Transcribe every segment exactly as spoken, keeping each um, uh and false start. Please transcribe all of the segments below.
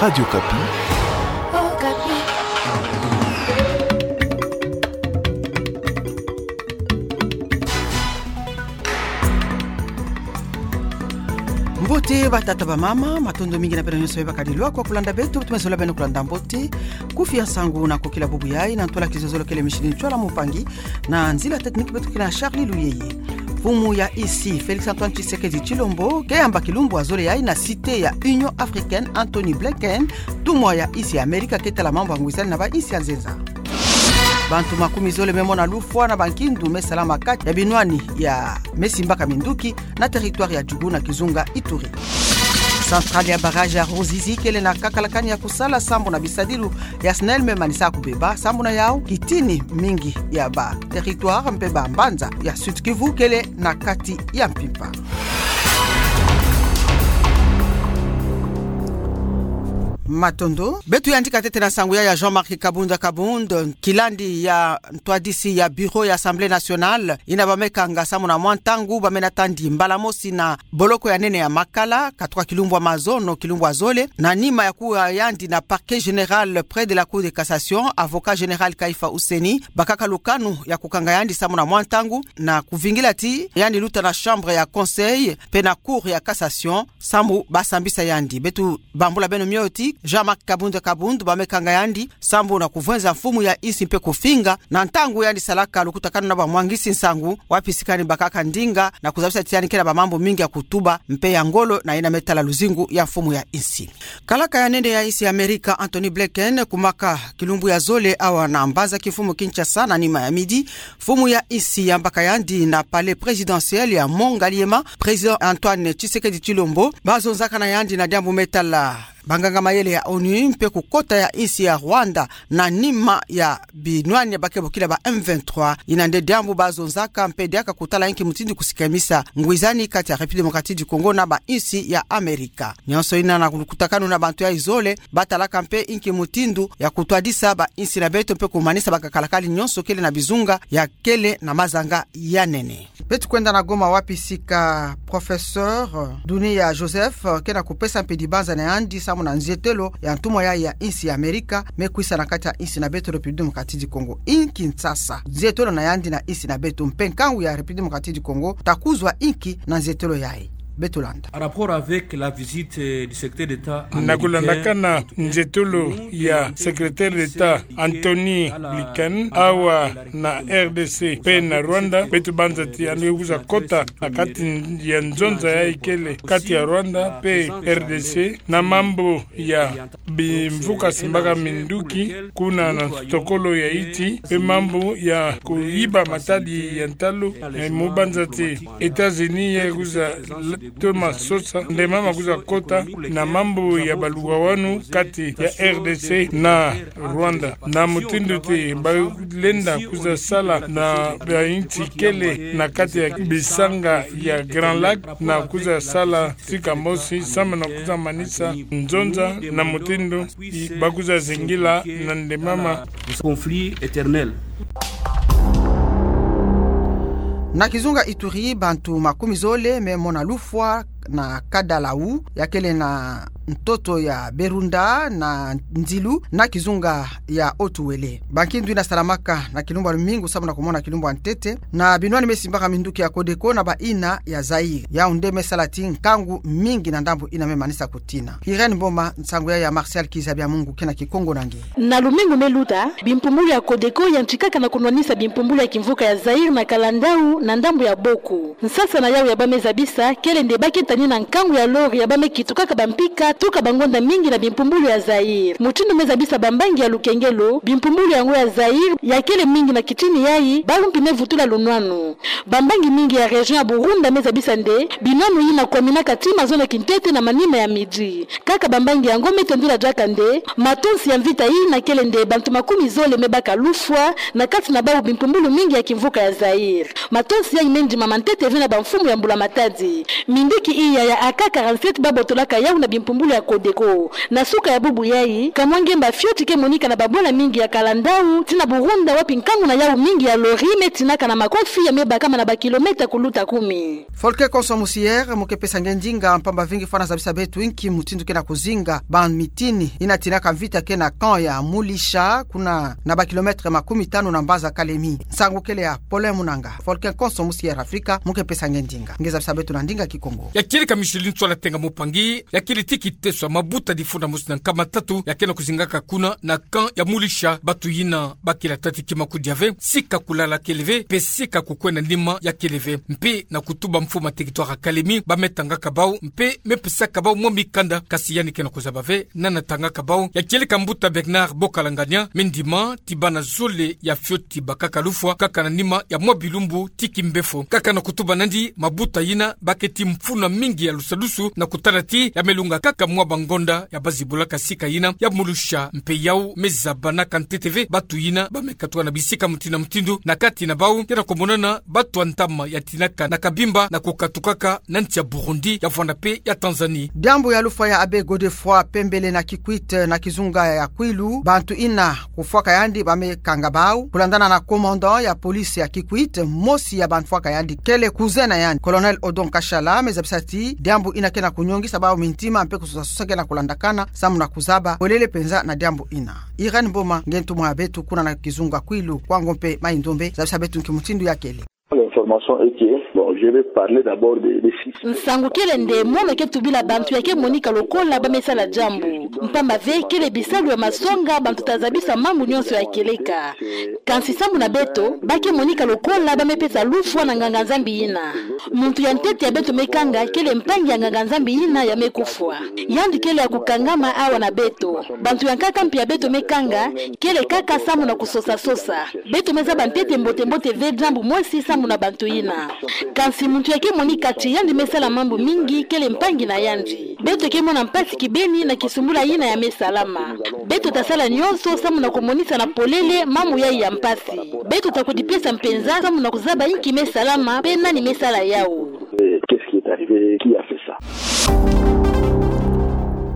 Radio Okapi. Mbote batata bamama, matondo mingi na beno nyonso bakadi lwaka kulanda beto, tumezola beno kulanda mbote. Kufi ya nsangu na kokila bubu yayi, na ntwala kizololo kele Micheline Tchouala Moupangi, na nzila technique beto ke na Charlie Luyeye. Mfumu ya insi, Félix Antoine Tshisekedi Tshilombo, ke yamba kilumbu ya zole yayi na Cité ya Union Africaine, Antony Blinken, ntumwa ya insi ya Amerika ke tala mambu ya ngwizani na ba insi ya nzenza. Bantu makumi zole me mona lufwa na bankindu me salama kati ya binwani ya me simbaka minduki na territoire ya Djougou na kizunga Ituri. Centrale ya barrage ya Ruzizi kele na kakalakani ya kusala sambu na bisadilu ya SNEL me manisa kubeba, sambu na yau kitini mingi ya ba territoire mpe ba mbanza ya Sud-Kivu kele na kati ya mpimpa. Matondo. Beto yandika ntete na nsangu ya, ya Jean-Marc Kabund Kabund, kilandi ya ntwadisi ya bureau ya Assemblée nationale, yina ba me kanga sambu na mwa ntangu ba me nata ndi mbala mosi na boloko ya nene ya Makala, katuka kilumbu ya mazono, kilumbu ya zole, na nima ya kuwa yandi na parquet général près de la Cour de cassation, avocat général Kaifa Housseni, bakaka lukanu ya kukanga yandi sambu na mwa ntangu, na kuvingila ti yandi luta na chambre ya conseil, mpe na Cour ya cassation, sambu ba sambisa yandi. Beto bambula beno mio ti Jean-Marc Kabund Kabund ba me kanga yandi sambu na kuvwenza mfumu ya insi mpe kufinga na ntangu yandi salaka lukutakanu na ba mwangisi nsangu, wapi sikani bakaka ndinga na kuzabisa ti yandi ke na ba mambu mingi ya kutuba mpe ya ngolo na yina me tala luzingu ya mfumu ya insi. Kalaka ya nene ya insi ya Amerika, Antony Blinken, kumaka kilumbu ya zole awa na mbanza kimfumu Kinshasa na nima ya midi. Mfumu ya insi yambaka yandi na palais présidentiel ya Mont Ngaliema, Président Antoine Tshisekedi Tshilombo, ba zonzaka na yandi na diambu me tala banganga mayele ya ONU mpe kukota ya insi ya Rwanda na nima ya binwani ya ba ke bokila ba M vingt-trois. Yina nde diambu ba zonzaka mpe diaka kutala inki mutindu kusikamisa ngwizani kati ya République démocratique du Congo na ba insi ya Amerika. Nyonso yina na lukutakanu na bantu yayi zole, ba talaka mpe inki mutindu ya kutwadisa ba insi na beto mpe kumanisa bakakalakali nyonso kele na bizunga ya kele na mazanga ya nene. Beto kwenda na Goma wapi sika professeur Dunia Joseph ke na kupesa mpe dibanza na yandi sambu na nzietelo ya ntumwa yayi ya insi ya Amerika me kwisa na kati ya insi na beto République démocratique du Congo. Inki nsasa nzietelo na yandi na insi na beto mpe nkangu ya République démocratique du Congo ta kuzwa inki na nzietelo yayi? Beto landa. En rapport avec la visite, euh, du secrétaire d'État américain, na kulandakana nzietolo ya secrétaire d'État Antony Blinken awa na R D C mpe na Rwanda, beto banza ti yandi kwiza kota na kati ya nzonza yayi kele kati ya Rwanda mpe R D C na mambu ya bimvuka simbaka minduki kuna na nsotokolo ya insi, mpe mambu ya kuyiba matadi ya ntalu, eh, mu banza ti États-Unis ya kwiza toma sosa nde mama kwiza kota na mambu ya baluwawanu kati ya R D C na Rwanda. Na mutindu ti ba lenda kwiza sala na ba insi kele na kati ya bisanga ya Grand Lac na kwiza sala sika mosi sambu na kwiza manisa nzonza na mutindu ba kwiza zingila na nde mama. Conflit éternel. Na kizunga Ituri, bantu makumi zole me mona lufwa na Kadalau, ya kele na ntoto ya Berunda na Nzilu, na kizunga ya Haut-Uélé. Bankindu yina salamaka na kilumbu ya lumingu sambu na kumona kilumbu ya ntete na binwani me simbaka minduki ya Codeco na ba ina ya Zaïre. Yau nde me sala ti nkangu mingi na ndambu yina me manisa kutina. Irène Mboma, nsangu ya ya Martial Kiza Bya Mungu ke na Kikongo na nge. Na lumingu me luta, bimpumbulu ya Codeco yantikaka na kunwanisa bimpumbulu ya kimvuka ya Zaïre na Kalandau na ndambu ya Boko. Nsasa na yau ya ba me zabisa kele nde ba ke tani na nkangu ya lori ya ba me kitukaka bampika tuka bangonda mingi na bimpumbulu ya Zaïre. Mutindu me zabisa bambangi ya lukengelo, bimpumbulu yango ya Zaïre ya kele mingi na kitini yayi, bawu mpi me vutula lunwanu. Bambangi mingi ya région ya Burunda me zabisa nde binwanu yina kwaminaka ti mazono kintete na manima ya midi. Kaka bambangi yango me tendula diaka nde matonsi ya mvita yina kele nde bantu makumi zole me baka lufwa na kati na bawu bimpumbulu mingi ya kimvuka ya Zaïre. Matonsi yayi me ndimama ntete ve na bamfumu ya mbula-matadi. Minduki iya ya A K quarante-sept ba botolaka yawu na bimpumbulu ya Codeco. Na suka ya bubu yayi, kamwa ngemba fioti ke monika na babwala mingi ya kalandau, tii na Burunda, wapi nkangu na yau mingi ya lori me tinaka na makofi ya me bakama na ba kilomètre kuluta kumi. Volcan Konso Musiere, mu ke pesa nge ndinga mpamba ve ngi fwana zabisa beto inki mutindu ke na kuzinga ba mitini ina tinaka mvita ke na camp ya Mulisha, kuna na ba kilomètre makumi tanu na mbanza Kalemi. Nsangu kele ya Paulin Munanga. Volcan Konso Musiere Afrika, mu ke pesa nge ndinga. Nge zabisa beto na ndinga Kikongo. Ya kieleka Micheline Tswala Tenga Mupangi, ya kele ti kiteso ya mabuta difunda mosi na nkama tatu ya ke na kuzingaka kuna na camp ya Mulisha, batu yina ba kila tati kima kudia ve, sika kulala kele ve, mpe sika kukwenda nima ya kele ve. Mpe na kutuba mfumu ya territoire ya Kalemi, ba me tangaka bau, mpe me pesaka bau mwa mikanda, kasi yandi ke na kuzaba ve nani atangaka bau. Ya kieleka mbuta Bernard Bokalangania, me ndima ti bana zole ya fioti bakaka lufwa, kaka na nima ya mwa bilumbu ti kimbefo. Kaka na kutuba nandi, mabuta yina ba ke ti mfunu mingi ya lusadusu na kutala ti ya me lunga kaka mwa bangonda ya ba zibulaka sika yina ya Mulisha, mpe yau me zabanaka ntete ve batu yina ba me katuka na bisika mutindu na mutindu, na kati na bau ke na kumonana batu ya ntama ya tinaka na Kabimba na kukatukaka na nsi ya Burundi, ya Rwanda mpe ya Tanzanie. Diambu ya lufwa ya Abbé Godefroid Pembele na Kikwit na kizunga ya Kwilu, bantu ina kufwaka yandi ba me kanga bau. Kulandana na commandant ya police ya Kikwit, mosi ya bafwaka yandi kele cousin na yandi, Colonel Odon Kashala, me zabisa ti diambu ina ke na kunyongisa bau mintima mpe kusosa sosa ke na kulandakana samu na kuzaba polele mpenza na diambu ina. Irène Mboma, nge ntumwa ya beto kuna na kizunga Kwilu, Kwango mpe Mayi-Ndombe, zabisa beto nki mutindu ya kele. L'information est que, bon, je vais parler d'abord des, des six. Nsangu kele nde mono ke tubila bantu ya ke monika lokola ba me sala diambu. Mpamba ve kele bisalu ya masonga bantu ta zabisa mambu nyonso ya kieleka. Kansi samu na beto, ba ke monika lokola ba me pesa lufwa na nganga-Nzambi yina. Muntu ya ntete ya beto me kanga kele mpangi ya nganga-Nzambi yina ya me kufwa. Yandi kele ya kukangama awa na beto. Bantu ya nkaka mpe ya beto me kanga, kele kaka samu na kusosa sosa. Beto me zaba ntete mbote mbote ve diambu mosi samu na bantu yina. Kansi muntu ya ke monika ti yandi me sala mambu mingi kele mpangi na yandi. Beto ke mona mpasi kibeni na kisumbula yina ya me salama. Beto ta sala nyonso samu na kumonisa na polele mambu yayi ya mpasi. Beto ta kudipesa mpenza samu na kuzaba inki me salama mpe nani me sala yau. Qu'est-ce qui est arrivé? Qui a fait ça?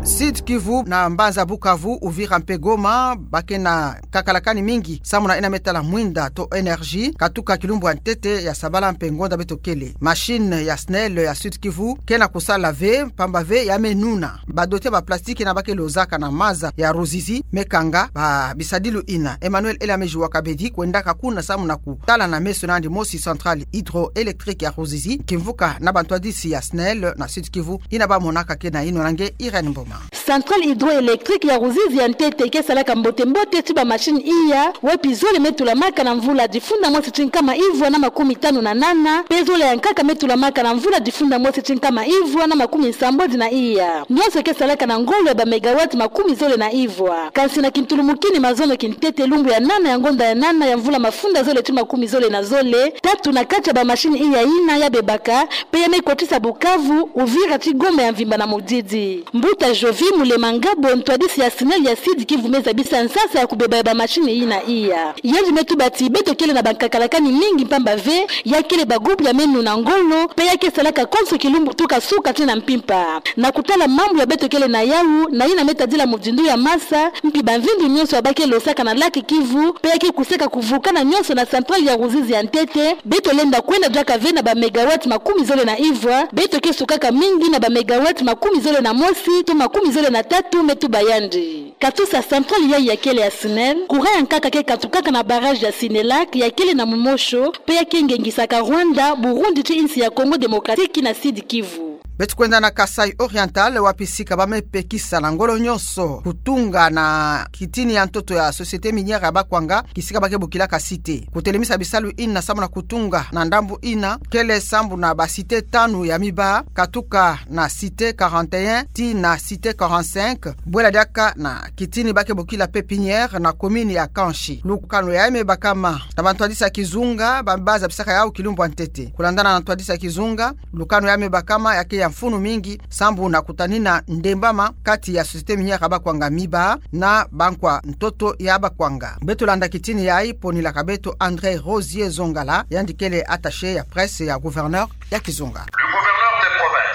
Sud-Kivu na mbanza Bukavu, Uvira mpe Goma, ba ke na kakalakani mingi samu na ina me tala mwinda to énergie, katuka kilumbu ya ntete ya sabala mpe ngonda beto kele. Machine ya SNEL ya Sud-Kivu ke na kusala ve, mpamba ve ya me nuna. Ba dote ba plastique na ba ke lozaka na maza ya Ruzizi me kanga ba bisadilu ina. Emmanuel Elamezi wa Kabedi kwendaka kuna samu na kutala na meso na yandi mosi centrale hydroélectrique ya Ruzizi, kimvuka na bantwadisi ya SNEL na Sud-Kivu ina ba monaka ke na yinona. Nge Irène Mboma. Centrale hydroélectrique ya Ruzizi ya ntete ke salaka mbote mbote ti ba machine iya, wapi zole me tulamaka na mvula difunda mosi ti nkama ivwa na makumi tanu na nana, mpe zole ya nkaka me tulamaka na mvula difunda mosi ti nkama ivwa na makumi nsambwadi na iya. Nyonso ke salaka na ngolo ya ba mégawatt makumi zole na ivwa. Kansi na kintulumukini mazono kintete lumbu ya nana ya ngonda ya nana ya mvula mafunda zole ti makumi zole na zole, tatu na kati ya ba machine iya yina ya bebaka, mpe ya me kotisa Bukavu, Uvira ti Goma ya mvimba na mudidi. Mbuta Jovi Mulema Ngabo, ntwadisi ya SNEL ya Sud-Kivu, me zabisa nsasa ya kubeba ya ba machine yina iya. Yandi me tuba ti beto kele na ba nkakalakani mingi mpamba ve ya kele ba groupe ya me nuna ngolo, mpe ya ke salaka konso kilumbu tuka suka ti na mpimpa. Na kutala mambu ya beto kele na yau, na yina me tadila muzindu ya masa, mpi ba mvindu nyonso ya ba ke losaka na lac Kivu, mpe ya ke kusaka kuvukana nyonso na centrale ya Ruzizi ya ntete, beto lenda kwenda diaka ve na ba mégawatt makumi zole na ivwa, beto ke sukaka mingi na ba mégawatt makumi zole na mosi to makumi zole na tatu, me tuba yandi. Katusa centrale yayi ya kele ya SNEL, courant ya nkaka ke katukaka na barrage ya Sinelac ya kele na Mumosho, mpe ya ke ngengisaka Rwanda, Burundi ti insi ya Congo Démocratique na Sud-Kivu. Beto kwenda na Kasaï Oriental, wapi sika ba me pekisa na ngolo nyonso kutunga na kitini ya ntoto ya Société Minière ya Bakwanga, kisika ba ke bokilaka Cité. Kutelemisa bisalu ina samu na kutunga na ndambu ina, kele sambu na ba cité tanu ya miba, katuka na Cité quarante et un tii na Cité quarante-cinq, bwela diaka na kitini ba ke bokila Pépinière na commune ya Kanchi. Lukanu yayi me bakama na bantwadisi ya kizunga, ba, ba zabisaka yau kilumbu ya ntete. Kulandana na ntwadisi ya kizunga, lukanu yayi me bakama ya ke ya mfunu mingi, sambu na kutanina ndembama kati ya Société Minière ya Bakwanga miba na bankwa ntoto ya Bakwanga. Beto landa kitini yayi ponilaka beto André Rosier Zongala, yandi kele attaché ya presse ya gouverneur ya kizunga. Le gouverneur de province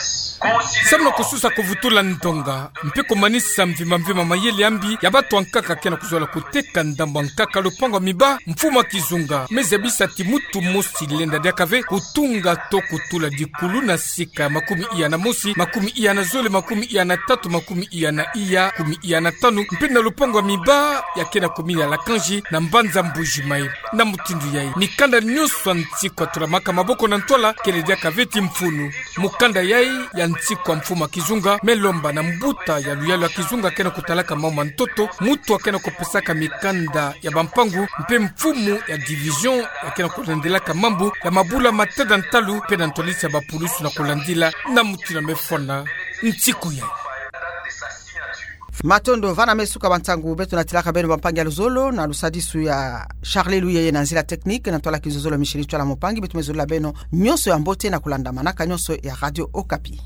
Samu na kususa kuvutula ndonga mpe kumanisa mvimba mvimba mayele ya mbi ya batu ankaka ke na kuzola kuteka ndambu ankaka, lupangu ya miba, mfumu a kizunga me zabisa ti mutu mosi lenda diaka ve kutunga to kutula dikulu na sika ya makumi iya na mosi, makumi iya na zole, makumi iya na tatu, makumi iya na iya, makumi iya na tanu, mpe na lupangu ya miba ya ke na commune ya Lakanzi na mbanza Mbuji-Mayi. Na mutindu yai, mikanda nyonso ya nsiku atulamaka maboko na ntwala kele diaka ve ti mfunu. Mukanda yai ya nsiku ya mfumu a kizunga me lomba na mbuta ya luyalu ya kizunga ke na kutalaka mambu ma ntoto, mutu a ke na kupesaka mikanda ya bampangu mpe mfumu ya division ya ke na kulandilaka mambu ya mabula ma tada ntalu mpe na ntwadisi ya bapulusu na kulandila na mutindu ya mefona nsiku yai. Matondo. Va na me suka ba ntangu beto natilaka beno bampangi ya luzolo na lusadisu ya Charles Luyeye na nzila technique, na ntwala kizololo Micheline Tshoala Moupangi. Beto me zolila beno nyonso ya mbote na kulandamanaka nyonso ya Radio Okapi.